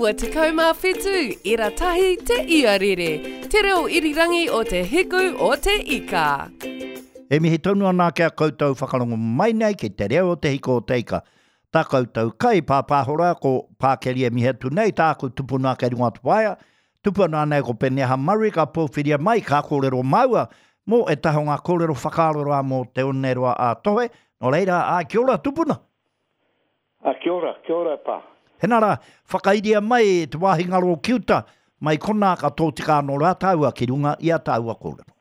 97 ira tahi te iarere, te reo irirangi o te hiku o te ika. E mihi tonu ana ki a koutou whakarongo mai nei ki te reo o te hiku o te ika. Tā koutou kai pāpāho rā ko Pākeri e mihi atu nei, tāku tupuna kei runga o te waea, tupu ana nei ko Peneha Murray ka pōwhiria mai ka kōrero māua mō ētahi o ngā kōrero whakaaro rā mō Te Oneroa a Tohe. Nō reira, āe, kia ora tupuna! A, kia ora, kia ora e pā. Hena rā, whakairia mai te wāhi ngaro ki uta, mai konā ka tōtika anō rā tāua ki runga i a tāua kōrero.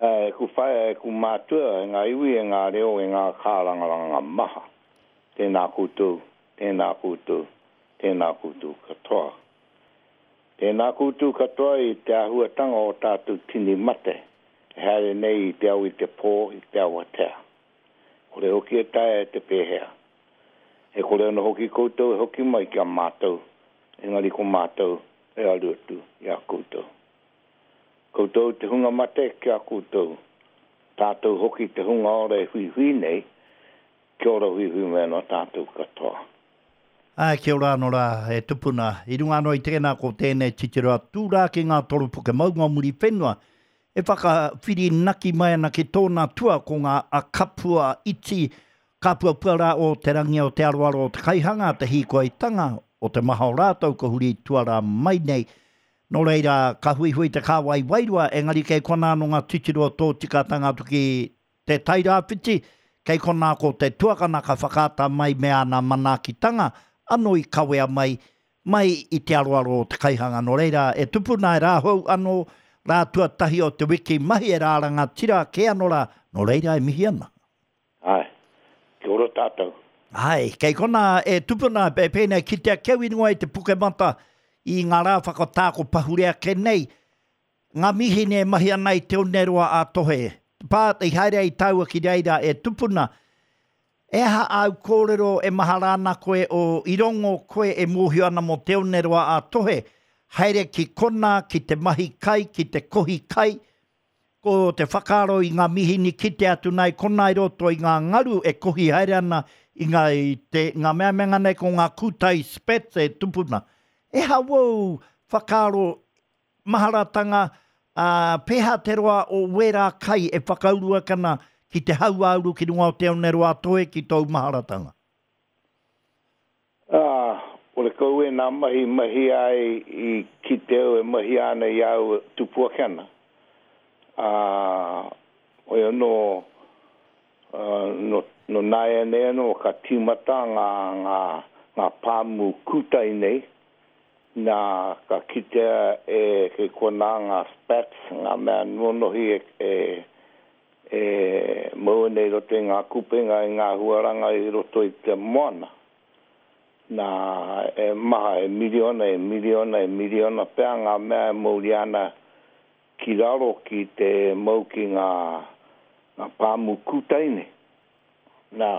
E ku whaea, e ku mātua, e ngā iwi, e ngā reo, e ngā kārangaranga maha, tēnā koutou, tēnā koutou, tēnā koutou katoa. Tēnā koutou katoa i te āhuatanga o tātou tini mate e haere nei i te ao i te pō, i te awatea. Kore hoki e taea e te pēhea. E kore anō hoki koutou e hoki mai ki a mātou, engari ko mātou e aru atu i a koutou. Koutou te hunga mate ki a koutou, tātou hoki te hunga ora e huihui nei, kia ora huihui mai anō tātou katoa. Āe, kia ora anō rā, e tupuna. I runga anō i tēnā ko tēnei titiro atu rā ki ngā toropuke maunga o Muriwhenua, E whakawhirinaki mai ana ki tōna tua ko ngā kapua iti, kāpuapua rā o te rangi o te aroaro o te kaihanga, te hīkoitanga o te maha o rātou ka huri tuarā mai nei. Nō reira, ka huihui te kāwai wairua, engari kei konā anō ngā titiro tōtikatanga atu ki Te Tairāwhiti, kei konā ko te tuakana ka whakaata mai me āna manaakitanga anō i kawea mai, mai i te aroaro o te kaihanga. Nō reira, e tupu nā e rāhou anō, rā tuatahi o te wiki mahi e rā rangatira kē anō rā, nō reira e mihi ana. Āe, kia ora tātou. Āe, kei konā e tupu nā, e pēnei kitea ki au i runga i te Puke-mata i ngā rā whakatā ko pahure ake nei, Ngā mīhini e mahi ana i Te Oneroa a Tohe. Pā, i haere ai tāua ki reira e tupuna. E aha āu kōrero e mahara ana koe o i rongo koe e mōhio ana mō Te Oneroa a Tohe? Haere ki konā, ki te mahi kai, ki te kohi kai. Ko te whakaaro i ngā mīhini kite atu nā i konā i roto i ngā ngaru e kohi haere ana i ngā, i te, ngā mea me ngā nei ko ngā kūtai spats e tupuna. E aha wōu whakaaro Maharatanga, ā, pēhea te roa o wērā kai e whakauru ake ana ki te hauāuru ki runga o Te Oneroa-a-Toi ki tōu maharatanga? Ā, horekau ēnā mahi mahi ai i kite au e mahia ana i a au e tupu ake ana. Ā, hoi anō, ā, nō, nō nāianei anō ka tīmata ngā, ngā, ngā pāmu kūtai nei, Nā, ka kitea e kei konā ngā spats, ngā mea nonohi e, e, e mau ana i roto i ngā kupenga, i ngā huaranga i roto i te moana. Nā, e maha, e miriona, e miriona, e miriona pea ngā mea e mauria ana ki raro ki te mau ki ngā, ngā pāmu kūtai nei. Nā,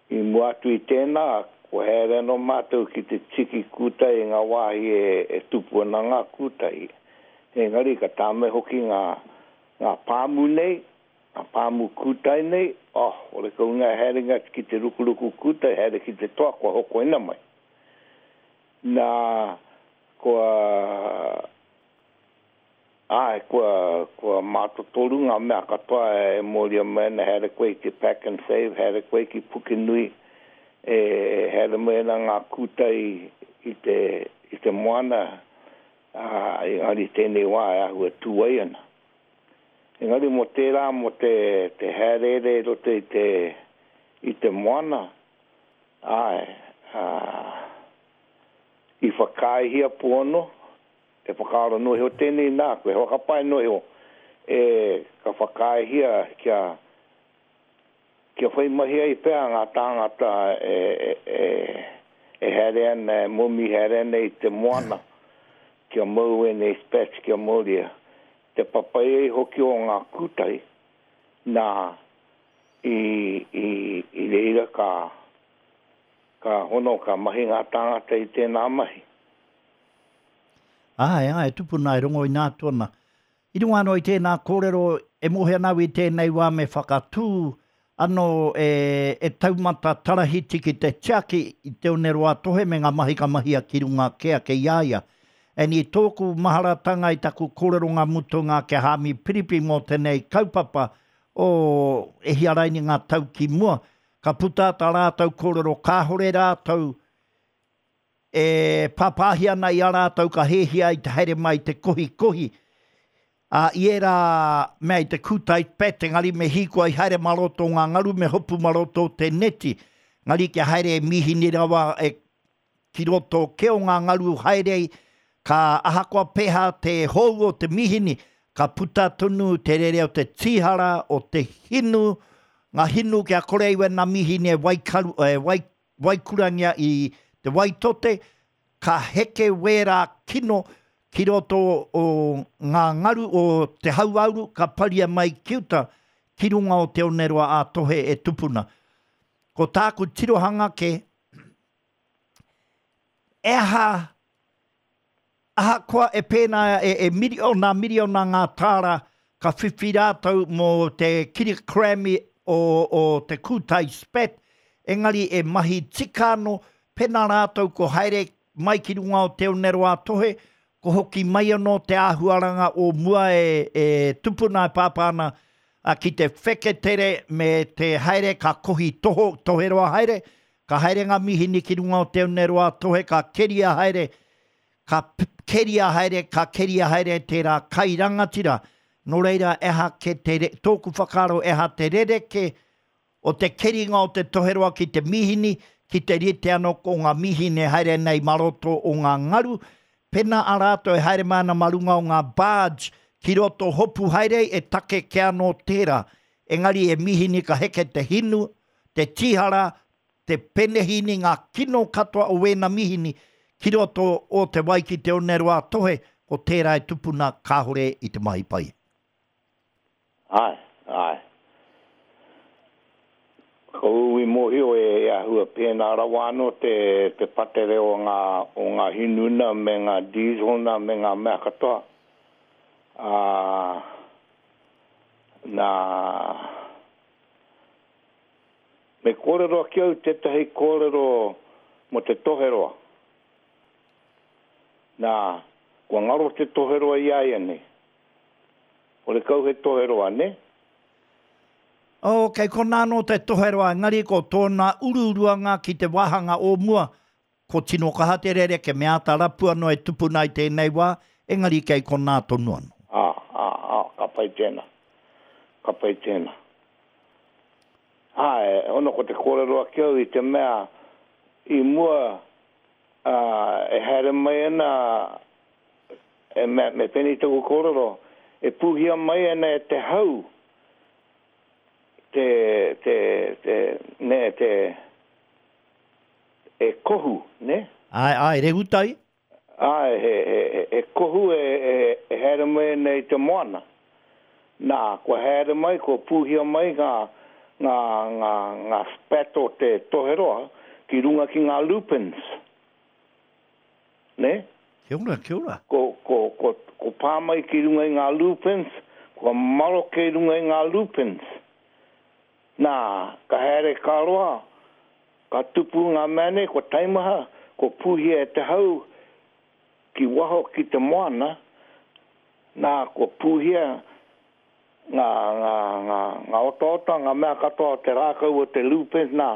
i mua atu i tēnā, kua haere anō mātou ki te tiki kūtai i ngā wāhi e tupu ana ngā kūtai. Engari ka tāmai hoki ngā, ngā pāmu nei, ngā pāmu kūtai nei, oh, horekau ngā haerenga ki te rukuruku kūtai, haere ki te toa, kua hokoina mai. Nā, kua. Āe, kua, kua mātotoru ngā mea katoa e mōria mai ana, haere koe ki Pack and Save, haere koe ki Pukenui, e haere mai ana ngā kūtai i te, i te moana, ā, engari tēnei wā e āhua tūai ana. Engari mō tērā, mō te, te hāereere i roto i te, i te moana, āe, ā, i whakaaehia pū anō, He whakaaro noa iho tēnei nāku, he whakapae noa iho e ka whakaaehia kia kia whai mahi ai pea ngā tāngata e e e haere ana, e momi haere ana i te moana kia mau ēnei spats kia mauria. Te papai ai hoki o ngā kūtai, nā, i i i reira ka ka hono, ka mahi ngā tāngata i tēnā mahi. Āe, āe, tupuna e rongo ina atu ana. I runga anō i tēnā kōrero, e mōhio ana au i tēnei wā me whakatū Ano e, e taumata tarahiti ki te tiaki i te Oneroa-a-Tohe me nga mahi ka mahia ki runga ke ake i a ia. And i tōku maharatanga i taku kōreronga mutunga ki a Haami Piripi mō tenei kaupapa o e hia raini nga tau ki mua, ka puta ta rātou kōrero kāhore rātou e pāpāhi ana i a rātou ka hēhia i te haere mai te kohikohi, ā, i ērā mea i te kūtai pat, engari me hīkoi haere mā roto o ngā ngaru, me hopu mā roto o te neti, engari kia haere e mīhini rawa e ki roto kē o ngā ngaru haere ai, ka ahakoa pēhā te hou o te mīhini, ka puta tonu te rere o te tīhara, o te hinu, ngā hinu kia kore ai wēnā mīhini e waikaru, e wai, waikurangia i te waitote, ka heke wērā kino ki roto o ngā ngaru o te hauāuru ka paria mai ki uta, ki runga o Te Oneroa ā-Tohe e tupuna. Ko tāku tirohanga kē, e aha Ahakoa e pēnā e, e miriona, miriona ngā tāra ka whiwhi rātou mō te kirikrami o, o te kūtai spat, engari e mahi tika anō, pēnā rātou ko haere mai ki runga o Te Oneroa-a-Tohe, ko hoki mai anō te āhuaranga o mua e, e tupuna e pāpā ana a, ki te wheketere me te haere ka kohi toho, toheroa haere, ka haere ngā mihini ki runga o Te Oneroa-a-Tohe ka keria haere Ka keria haere, ka keria haere tērā kai rangatira. Nō reira, e aha ke te, tōku whakaaro, e aha te rerekē o te keringa o te toheroa ki te mīhini, ki te rite anō ko ngā mīhini e haere nei mā roto o ngā ngaru, pēnā a rātou e haere mai ana mā runga o ngā barge ki roto hopu haere ai, e take kē anō tērā. Engari e mīhini ka heke te hinu, te tīhara, te penehīni ngā kino katoa o wēna mihini ki roto o te wai ki te oneroa tohe, ko tērā e tupuna kāore i te mahi pai. Āe, āe. Ko ū i mōhio e āhua pēnā rawa anō te, te patere o ngā, o ngā hinuna me ngā diesel nā me ngā mea katoa. Ā, nā. Me kōrero ake au tētahi kōrero mō te toheroa. Nā, kua ngaro te toheroa i āianei. Horekau he toheroa, nē? Oh, kei konā anō te toheroa, engari ko tōna uruuruanga ki te wāhanga o mua, ko tino kaha te rere, ke mea āta rapu anō e tupuna i tēnei wā, engari kei konā tonu anō. Ā, ā, ā, ka pai tēnā. Ka pai tēnā. Āe, ono ko te kōrero ake au i te mea i mua, ā, e haere mai ana, e mea, me pēnei taku kōrero, e pūhia mai ana e te hau te, te, te, nē, te, e kohu, nē? Āe, āe, rehutai. Āe, he, he, he kohu e, e, e haere mai ana i te moana. Nā, kua haere mai, kua pūhia mai ngā, ngā, ngā, ngā spat o te toheroa ki runga ki ngā lupins. Nē? Kia ora, kia ora. Ko, ko, ko, ko pā mai ki runga i ngā lupins, kua maroke i runga i ngā lupins. Nā, ka haere ka roa, Ka tupu ngā mea nei, kua taimaha, kua pūhia e te hau ki waho ki te moana, nā, kua pūhia ngā, ngā, ngā, ngā otaota, ngā mea katoa o te rākau o te lupins, nā,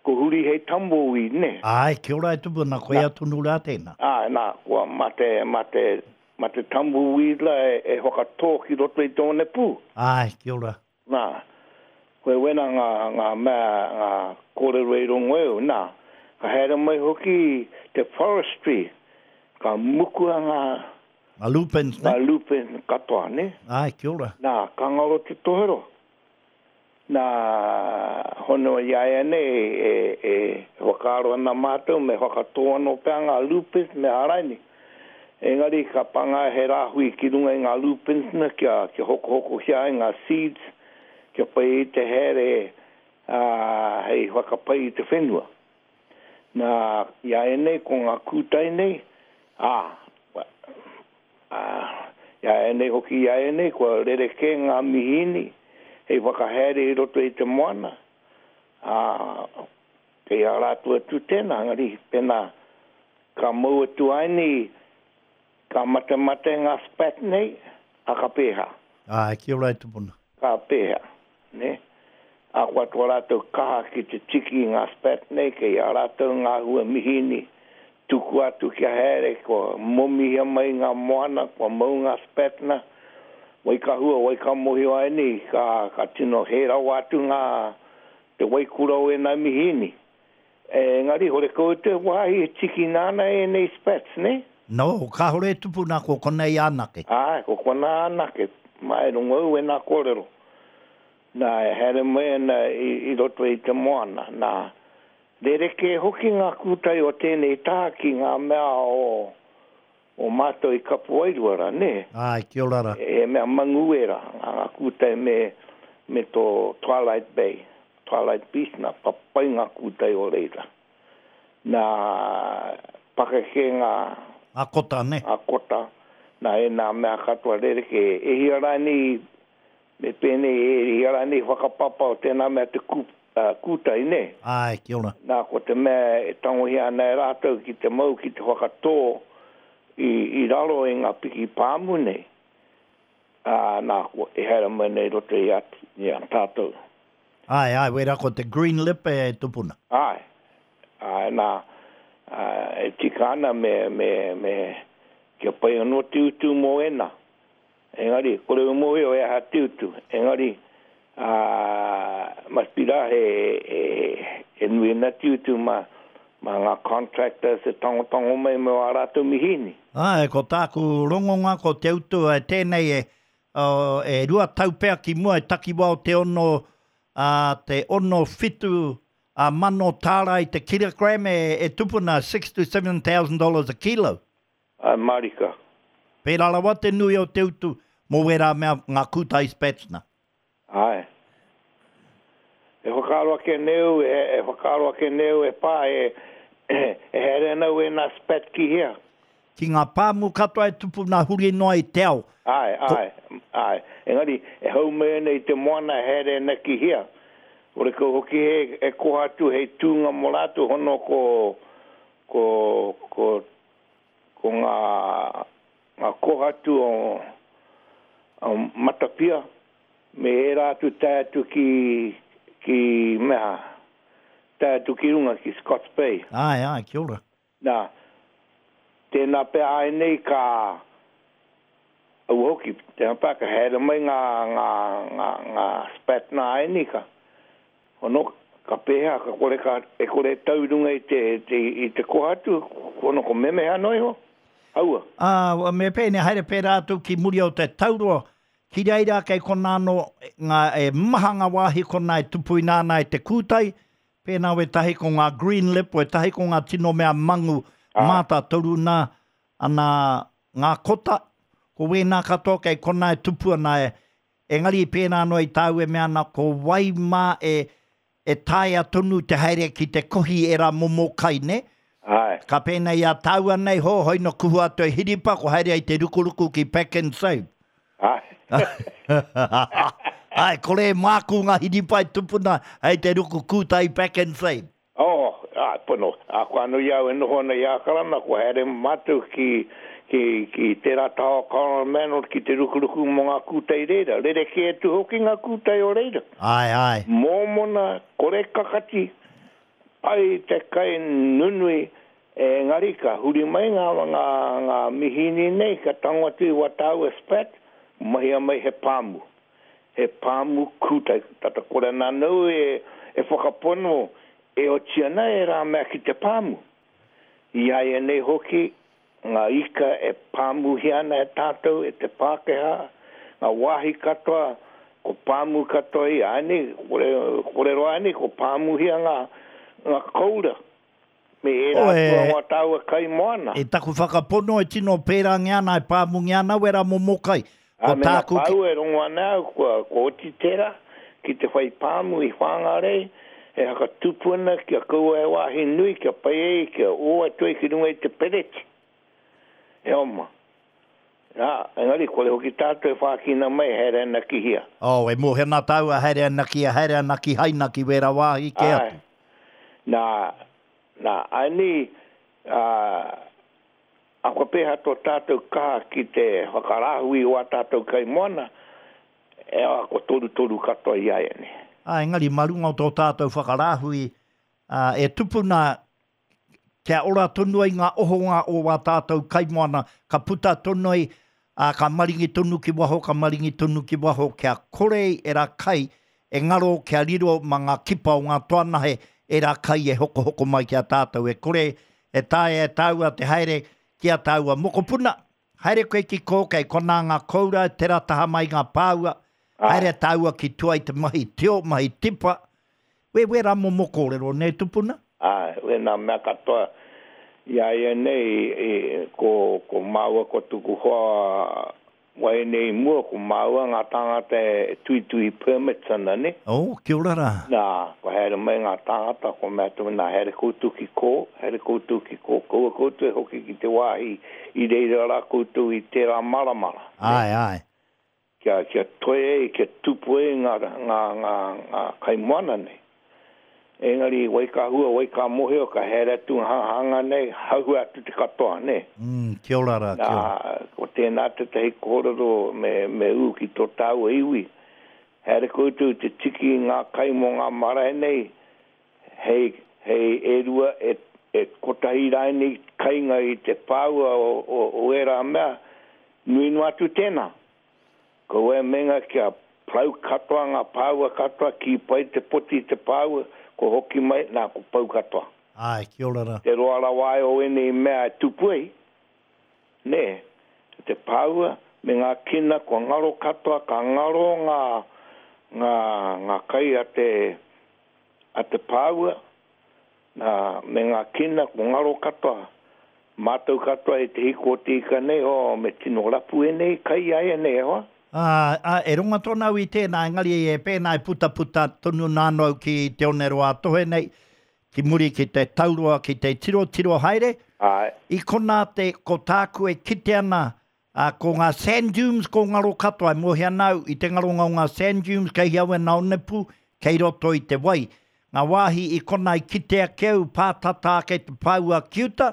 kua huri hei tumbleweed, nē. Āe, kia ora e tupu ana, koia tonu rā tēnā. Āe, nā, kua mā te, mā te, mā te tumbleweed la e, e whakatō ki roto i te onepū. Āe, kia ora. Nā, koe wena ngā, ngā mea, ngā kōrero i rongo e au, nā, ka haere mai hoki te forestry, ka mukua ngā, Ngā lupins, nē? Ngā lupins katoa, nē? Āe, kia ora. Nā, ka ngaro te tohero. Nā, hono i a ia nei, e, e whakaaro ana mātou me whakatō anō pea ngā lupins me āraini. Engari ka panga he rāhui ki runga i ngā lupins na kia kia hokohokohia ai ngā seeds kia pai ai te haere ā hei whakapai i te whenua. Nā, i a ēnei ko ngā kūtai nei, ā, ā, i a ēnei hoki i a ēnei kua rerekē ngā mihīni. hei whakahaere i roto i te moana, ā, kei a rātou atu tēnā, engari pēnā ka mau atu ai nei, ka matemate ngā spat nei, ā, ka pēhea? Āe, kia ora e tupuna. Ka pēhea, nē? Ahakoa tō rātou kaha ki te tiki i ngā spat nei, kei a rātou ngā hua mihīni, tukua atu kia haere, kua momihia mai ngā moana, kua mau ngā spat na, wai ka hua, wai ka mohio ai nei, ka, ka tino hē rawa atu ngā, te waikura o ēnā mihīni. Engari, horekau te wāhi e tikina ana ēnei spats, nē? No, kāore e tupuna, ko konei anake. Āe, ko konā anake, mā e rongo au ēnā kōrero. Nā, e haere mai ana i roto i te moana. Nā, rerekē hoki ngā kūtai o tēnei taha ki ngā mea o, o mātou i Kapuwairua rā, nē? Āe, kia ora rā. He mea mangu ērā, ngā kūtai me, me tō Twilight Bay, Twilight Beach, nā, papai ngā kūtai o reira. Nā, pakeke ngā. Ngā kota, nē? Ngā kota, nā, ēnā mea katoa rerekē. E hia rānei Me pēnei e hia rānei whakapapa o tēnā mea te kūtai, nē? Āe, kia ora. Nā, ko te mea e tangohia ana e rātou ki te mau ki te whakatō i, i raro i ngā piki pāmu nei, ā, nā, kua, e haere mai nei roto i a, i a tātou. Āe, āe, wera ko te green lip e tupuna. Āe, āe, nā, ā, e tika ana me, me, me, kia pai anō te utu mō ēnā. Engari, kore u mohio he aha te utu. Engari, a, must be ra he, he, he nui ana te utu ma, ma nga contractors e tangotango mai me wa ratou mihini. Ae, ko tāku rongonga ko te utu e tēnei e, oh, e 2 tau pea ki mua e takiwa o te ono, a, te ono whitu a mano tāra i te kilogram e, e tupuna six to 7,000 dollars a kilo. Āe mārika. Pērā rawa te nui o te utu mō wērā mea, ngā kūtai spats na. Āe. E whakaaro ake nei au, e whakaaro ake nei au e pā, e, e haere ana au ēnā spat ki hea? Ki ngā pāmu katoa e tupu nā huri noa i te ao. Āe, āe, āe. Engari, e hau mai ana i te moana e haere ana ki hea? Horekau hoki he, e koha atu hei tūnga mō rātou hono ko, ko, ko Ko ngā, ngā kōhatu o, o Matapia me ērā atu tae atu ki, ki mea, tae atu ki runga ki Scott's Bay. Āe, āe, kia ora. Nā, tēnā pea āianei ka, aua hoki, tēnā pea ka haere mai ngā, ngā, ngā, ngā spat nā āianei ka, Hono, ka pēhea, ka kore ka, e kore e tau i runga i te, te, i te kohatu, hono ko memeha noa iho, aua. Ā, me pēnei, haere pērā atu ki muri o te tauroa, ki reira kei konā anō ngā, e maha ngā wāhi konā e tupuina ana e te kūtai, pēnā wētahi ko ngā green lip, wētahi ko ngā tino mea mangu mātātoru nā, ana ngā kota, ko wēnā katoa kei konā e tupu ana e, Engari i pērā noa i tāu e mea ana ko wai mā e e taea tonu te haere ki te kohi ērā momo kai, nē? Āe. Ka pēnei i a tāua nei, ho, hoi no kuhu atu e Hiripa, ko haere ai te rukuruku ki Pak'nSave. Āe. Āe, kore e mākū ngā hiripa e tupuna hei te ruku kūtai Pak'nSave. Oh, āe, pono. Ā, ko anō i a au e noho ana i Ākarana, kua haere mātou ki, ki, ki tērā taha o Coromandel ki te rukuruku mō ngā kūtai reira. Rerekē atu hoki ngā kūtai o reira. Āe, āe. Mōmona, kore kakati, pai te kai nunui, engari ka huri mai ngā, ngā, ngā mihīni nei, ka tango atu i wā tāua spat, mahia mai he pāmu. He pāmu kūtai, tata kore ana anō e, e whakapono e oti ana ērā mea ki te pāmu. I āianei hoki, ngā ika e pāmuhia ana e tātou, e te Pākehā, ngā wāhi katoa, ko pāmu katoa i āianei, kore, kore roa āianei, ko pāmuhia ngā, ngā koura. Me ērā Oh, e, atu o ngā tāua kai moana. E taku whakapono e tino pērangia ana, e pāmungia ana wera momo kai. Ā, Ko me ngā tāku ki. pāua e rongo ana au, kua, kua oti tērā, ki te whai pāmu i Whāngārei, e hakatupu ana kia kaua he wāhi nui, kia pai ai, kia ō atu ai ki runga i te pereti. E oma. Nā, engari kore hoki tātou e whākina mai haere ana ki hea. Oh, e mōhio ana tāua haere ana ki hea, haere ana ki Haina ki wērā wāhi kē atu. Āe. Nā, nā, āinī, ā, a kua pēhea tō tātou kaha ki te whakarāhui o ā tātou kaimoana, e a kua torutoru katoa i āianei. Ā, engari mā runga o tō tātou whakarāhui, ā, e tupuna kia ora tonu ai ngā ohonga o wā tātou kaimoana, ka puta tonu ai, ā, ka maringi tonu ki waho, ka maringi tonu ki waho, kia kore ai ērā kai e ngaro, kia riro mā ngā kipa o ngā toanahe ērā kai e hokohoko mai ki a tātou. E kore e taea e tāua te haere ki ā tāua mokopuna, haere koe ki kō, kei konā ngā koura, tērā taha mai ngā pāua, haere tāua ki tua i te mahi tio, mahi tipa, Wē, wērā momo kōrero, nē tupuna? Āe, wēnā mea katoa i a ia nei, i, ko, ko māua ko tuku hoa wahine i mua, ko māua ngā tāngata e tuitui permits ana, nē. Oh, kia ora rā. Nā, kua haere mai ngā tāngata, kua mea atu, nā, haere koutou ki kō, haere koutou ki kō, kaua koutou e hoki ki te wāhi i reira rā koutou i tērā maramara, nē. Āe, āe. Kia, kia toe ai, kia tupu ai ngā, ngā, ngā, ngā kaimoana nei. Engari, wai ka hua, wai ka mohio, ka haere atu ngā hanga nei, hahua atu te katoa, nē? Mm, kia ora rā, kia ora. Nā, ko tēnā tētahi kōrero me, me ū ki tō tāua iwi. Haere koutou te tiki i ngā kai mō ngā marae nei, hei, hei e rua, e, e kotahi rānei kainga i te pāua o, o, o ērā mea, Nui noa atu tēnā. Kaua e meinga kia parau katoa ngā pāua katoa, kī pai te poti i te pāua, kua hoki mai, nā, kua pau katoa. Āe, kia ora rā. Te roa rawa ai o ēnei mea e tupu ai, nē, te pāua me ngā kina kua ngaro katoa, ka ngaro ngā, ngā, ngā kai a te, a te pāua, Nā, me ngā kina kua ngaro katoa, mātou katoa i te hiko o te ika nei, oh, me tino rapu ēnei kai āianei, e hoa. Ā, ā, e ronga tonu au i tēnā, engari e pēnā e putaputa tonu nā anō au ki Te Oneroa-a-Tohe nei, ki muri ki te tauroa, ki te tirotiro haere. Āe. I konā te, ko tāku e kite ana, Ā, ko ngā sand dunes ko ngaro katoa, e mōhio ana au i te ngaronga o ngā sand dunes kei hea wena onepū, kei roto i te wai. Ngā wāhi i kona i kite ake au pātata ake te pāua ki uta,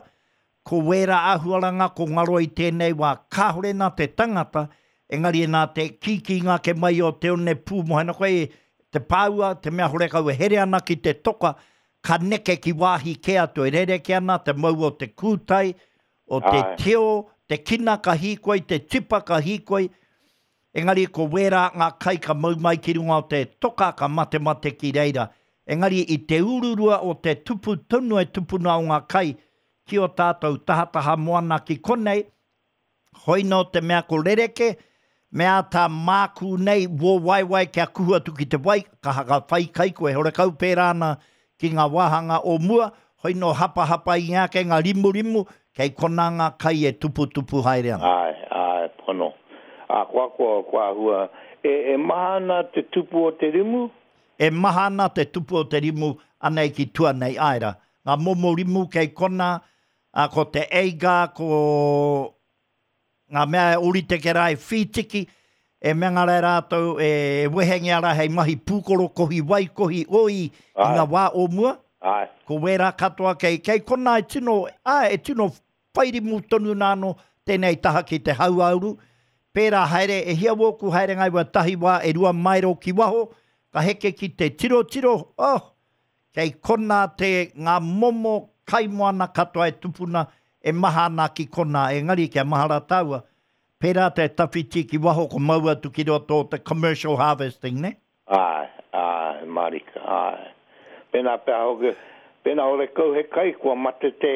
ko wērā āhuaranga ko ngaro i tēnei wā kāore nā te tangata, engari nā te kīkīnga ake mai o te onepū mōhio ana koe te pāua, te mea horekau e here ana ki te toka, ka neke ki wāhi kē atu e rerekē ana te mau o te kūtai, o te tio, te kina ka hīkoi, te tipa ka hīkoi, engari ko wērā ngā kai ka mau mai ki runga o te toka ka matemate ki reira. Engari i te ururua o te tupu tonu e tupuna o ngā kai ki o tātou tahataha moana ki konei, Hoi nō te mea ko rereke, me āta mākū nei wō waewae kia kuhu atu ki te wai, ka haka whai kai koe, horekau pērā ana ki ngā wāhanga o mua, hoi nō hapahapa i ake ngā rimurimu, kei konā ngā kai e tuputupu haere ana. Āe, āe, pono. Akoa kua, kua āhua, e, e maha ana te tupu o te rimu? E maha ana te tupu o te rimu anei ki tua nei, āe rā. Ngā momo rimu kei konā, Ā, ko te Eiga, ko ngā mea e ōrite ki rā e whītiki, e mea ngā rā rātou e wehengia rā hei mahi pūkoro kohi wai, kohi oi i ngā wā o mua. Āe. Ko wērā katoa kei, kei konā e tino, āe, e tino whairimu tonu nā anō tēnei taha ki te hauāuru. Pērā haere, e hia wōku haerenga i wā tahi wā e 2 maero ki waho, ka heke ki te tirotiro, oh, Kei konā te ngā momo kaimoana katoa e tupuna e maha ana ki konā, engari kia mahara tāua, pērā te tawhiti ki waho ko mau atu ki roto o te commercial harvesting, nē? Āe, āe, mārika, āe. Pēnā pea hoki, pēnā horekau he kai, kua mate te,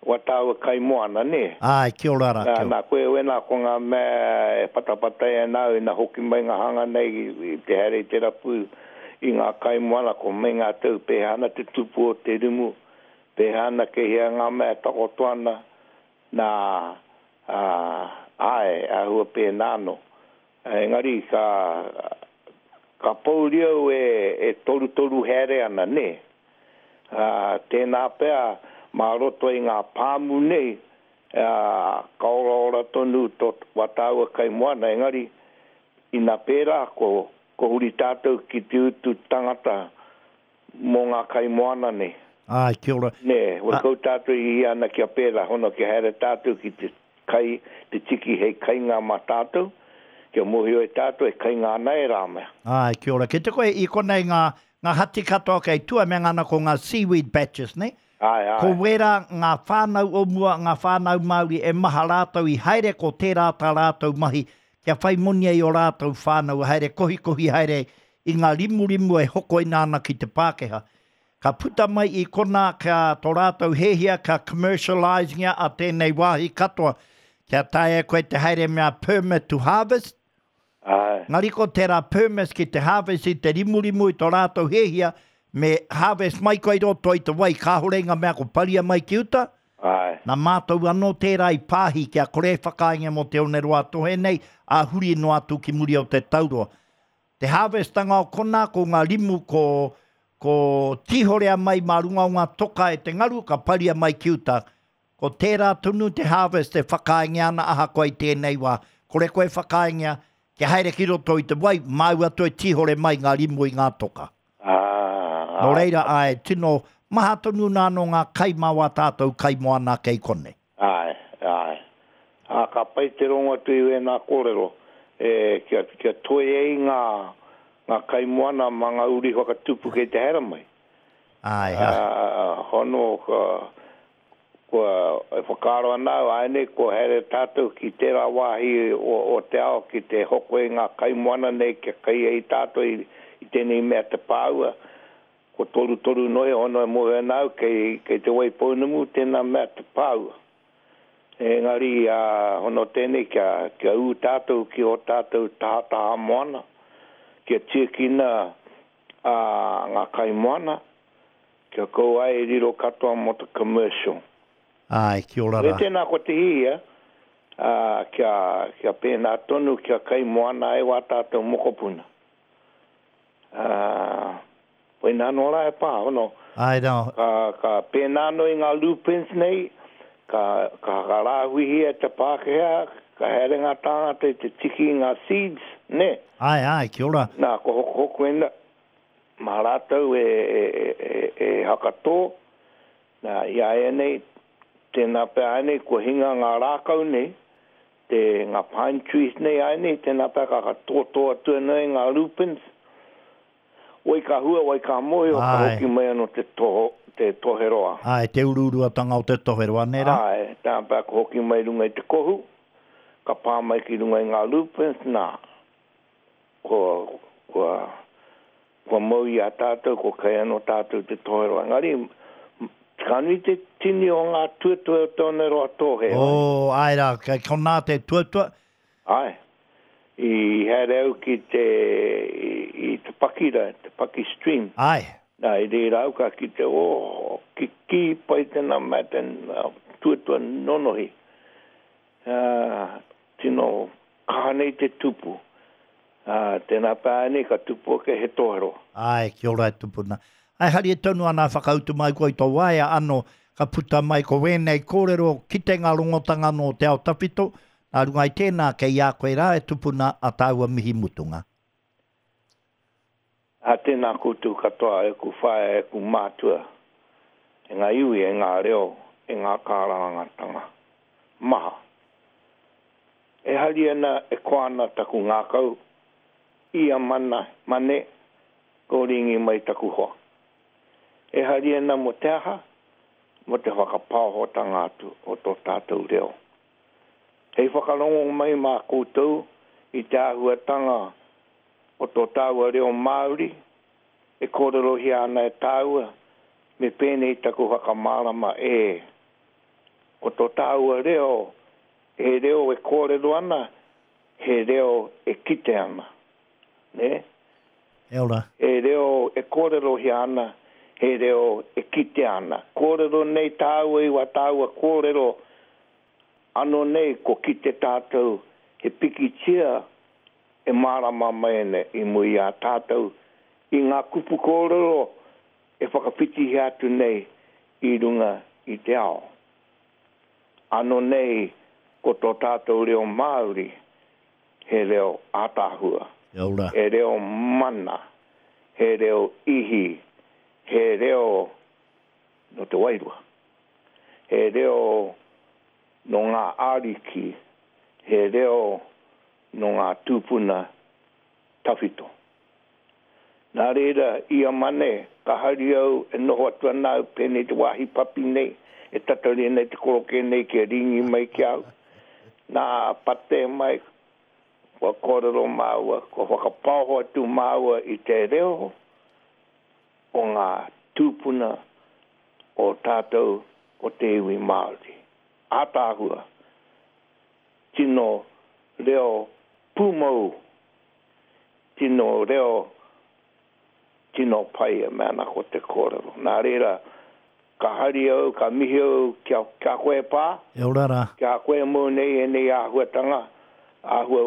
Wa tāua kai moana, nē? Āe, kia ora rā, kia ora. Nā, koe wēnā ko ngā mea e patapatai ana au ina hoki mai ngā hanga nei i te haere i te rapu i ngā kai moana, ko meinga atu au pēhea ana te tupu o te rimu, pēhea ana kei hea ngā mea e takoto ana, nā, ā, āe, āhua pēnā anō. Engari ka, ka pōuri au e, e torutoru haere ana, nē? Ā, tēnā pea mā roto i ngā pāmu nei Ā, ka oraora tonu tō wā tāua kai moana, engari, ina pērā, ko, ko huri tātou ki te utu tangata mō ngā kai moana nei. Āe, kia ora. Nē, horekau tātou i hihia ana kia pērā, hono kia haere tātou ki te kai, te tiki hei kainga mā tātou, kia mōhio e tātou e kainga ana e rā mea. Āe, kia ora. Kei te koe i konei ngā, ngā hati katoa kei tua me ngana ko ngā seaweed batches, nē? Āe, āe. Ko wērā ngā whānau o mua, ngā whānau Māori e maha rātou i haere ko tērā tā rātou mahi kia whai moni ai ō rātou whānau haere kohikohi haere i ngā rimurimu e hokoina ana ki te Pākehā. Ka puta mai i konā kia tō rātou hēhia kia commercialize-ngia a tēnei wāhi katoa kia taea e koe te haere mea permit to harvest, Āe. Engari ko tērā permit ki te harvest i te rimurimu i tō rātou hēhia me harvest mai koe i roto i te wai kāore i ngā mea ko paria mai ki uta, Āe. Nā mātou anō tērā i pāhi kia kore e whakaaengia mō Te Oneroa-a-Tohe nei, ā, huri noa atu ki muri o te tauroa. Te harvestanga o konā, ko ngā rimu ko, ko tīhorea mai mā runga o ngā toka e te ngaru, ka paria mai ki uta. Ko tērā tonu te harvest e whakaaengia ana ahakoa i tēnei wā. Kore koe e whakaaengia kia haere ki roto i te wai, māu atu e tīhore mai ngā rimu i ngā toka. Ā, Nō reira, āe, tino maha tonu nā nō ngā kai mā wā tātou kaimoana kei konei. Āe, āe. Ā, ka pai te rongo atu i wēnā kōrero, e, kia, kia toe ai ngā, ngā kaimoana mā ngā uri whakatupu kei te haere mai. Āe, āe. Ā, hono, ka, Kua, e whakaaro ana au, āianei kua haere tātou ki tērā wāhi o, o te ao ki te hoko i ngā kaimoana nei kia kai ai tātou i, i tēnei mea te pāua. Ko torutoru noa iho anō e mōhio ana au kei, kei Te Waipounamu tēnā mea te pāua. Engari, ā, hono tēnei kia, kia ū tātou ki ō tātou tahataha moana, kia tiakina, ā, ngā kaimoana, Kia kaua ai e riro katoa mō te commercial. Āe, kia ora Me rā. tēnā ko te hihia, ā, kia, kia pēnā tonu, kia kai moana ai wā tātou mokopuna. Ā, koinā anō rā e pā, hono. Āe rā. Ka, ka pēnā anō i ngā lupins nei, ka, ka whakarāhuihia e te Pākehā, ka haere ngā tāngata i te tiki i ngā seeds, nē? Āe, āe, kia ora. Nā, ko hokohoko ēnā, Mā rātou e hakatō, nā, i āianei, tēnā pea āianei kua hinga ngā rākau nei, te, ngā pine trees nei āianei, tēnā pea ka tōtō atu anō i ngā lupins, wai ka hua, wai ka mōhio, ka hoki mai anō te toho, te toheroa. Āe, te uruuruatanga o te toheroa, nē rā? Āe, tēnā pea ka hoki mai runga i te kohu, ka pā mai ki runga i ngā lupins, nā, Kua, kua, kua mau i a tātou, kua kai anō tātou te toheroa. Engari, ka nui te tini o ngā tuatua o te oneroa tōhe. Oh, āe rā, kei konā te tuatua. Āe. I haere au ki te, i, i te pakira, te paki stream. Āe. Nā, i reira au ka kite, oh, kikī pai tēnā mea, tēnā tuatua nonohi. Ā, tino kaha nei te tupu. Ā, tēnā pea ānei ka tupu ake he tohero. Āe, kia ora e tupuna. Āe, haria tonu ana whakautu mai koe i tō waea ano ka puta mai ko wēnei kōrero kitenga rongotanga nō te ao tawhito, nā runga i tēnā kei a koe rā e tupuna a tāua mihi mutunga. Ā, tēnā koutou katoa, e aku whaea, e aku mātua, e ngā iwi, e ngā reo, e ngā kārangatanga maha. E hari ana, e koa ana taku ngākau i a Mana, Mane, kōringi mai taku hoa. E hari ana mō te aha? Mō te whakapaohotanga atu o tō tātou reo. Hei whakarongo mai mā koutou i te āhuatanga o tō tāua reo Māori e kōrerohia ana e tāua, me pēnei taku whakamārama e, ko tō tāua reo he reo e kōrero ana, he reo e kite ana. Nē? E ora. He reo e kōrerohia ana, he reo e kitea ana. Kōrero nei tāua i wā tāua kōrero, anō nei ko kite tātou he pikitia e mārama mai ana i mua i a tātou i ngā kupu kōrero e whakawhitihia atu nei i runga i te ao. Ano nei ko tō tātou reo Māori he reo ātaahua, he reo mana, he reo ihi, he reo nō te wairua, he reo nō ngā ariki, he reo nō ngā tūpuna tawhito. Nā reira, ia Mane, ka hari au e noho atu ana au pēnei te wāhi papi nei, e tatari ana i te korokē nei kia rīngi mai ki a au. Nā, patē mai, kua kōrero māua, kua whakapaoho atu māua i te reo o ngā tūpuna o tātou o te iwi Māori. Ātaahua, tino reo pūmau Tino reo, tino pai e mea ana ko te kōrero. Nā reira, ka hari au, ka mihi au ki a, ki a koe e Pā. E ora rā. Ki a koe e mau nei ēnei āhuatanga, āhua,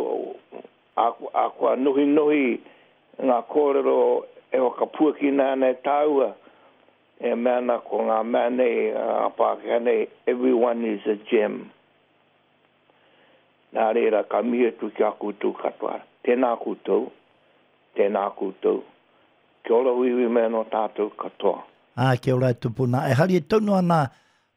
ā, ā, kua nohinohi ngā kōrero e whakapuakina ana e tāua, e mea ana ko ngā mea nei, ngā Pākehā nei, everyone is a gem. Nā reira, ka mihi atu ki a koutou katoa. Tēnā koutou, tēnā koutou. Kia ora huihui mai anō tātou katoa. Ā, kia ora e tupuna. E haere tonu ana,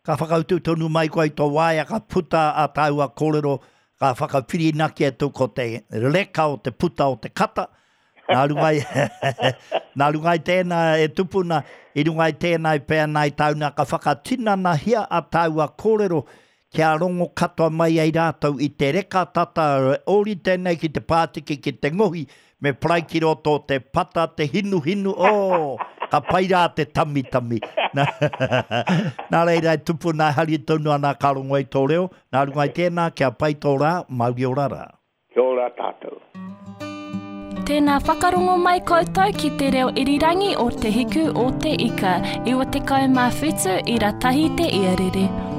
ka whakautu tonu mai koe i tō waea, ka puta ā tāua kōrero, ka whakawhirinaki atu ko te reka o te puta o te kata. Nā runga i, nā runga i tēnā e tupuna, i runga i tēnā e pēa nā i tāuna, ka whakatinanahia ā tāua kōrero kia rongo katoa mai ai rātou i te reka tata ōrite nei ki te pātiki ki te ngohi me parai ki roto o te pata te hinuhinu, oh, ka pai rā te tamitami. Nā reira e tupuna e hari tonu ana ka rongo i tō reo, nā runga i tēnā kia pai tō rā, mauri ora rā. Kia ora tātou. Tēnā whakarongo mai koutou ki te reo irirangi o Te Hiku o Te Ika, 97 ira tahi te iarere.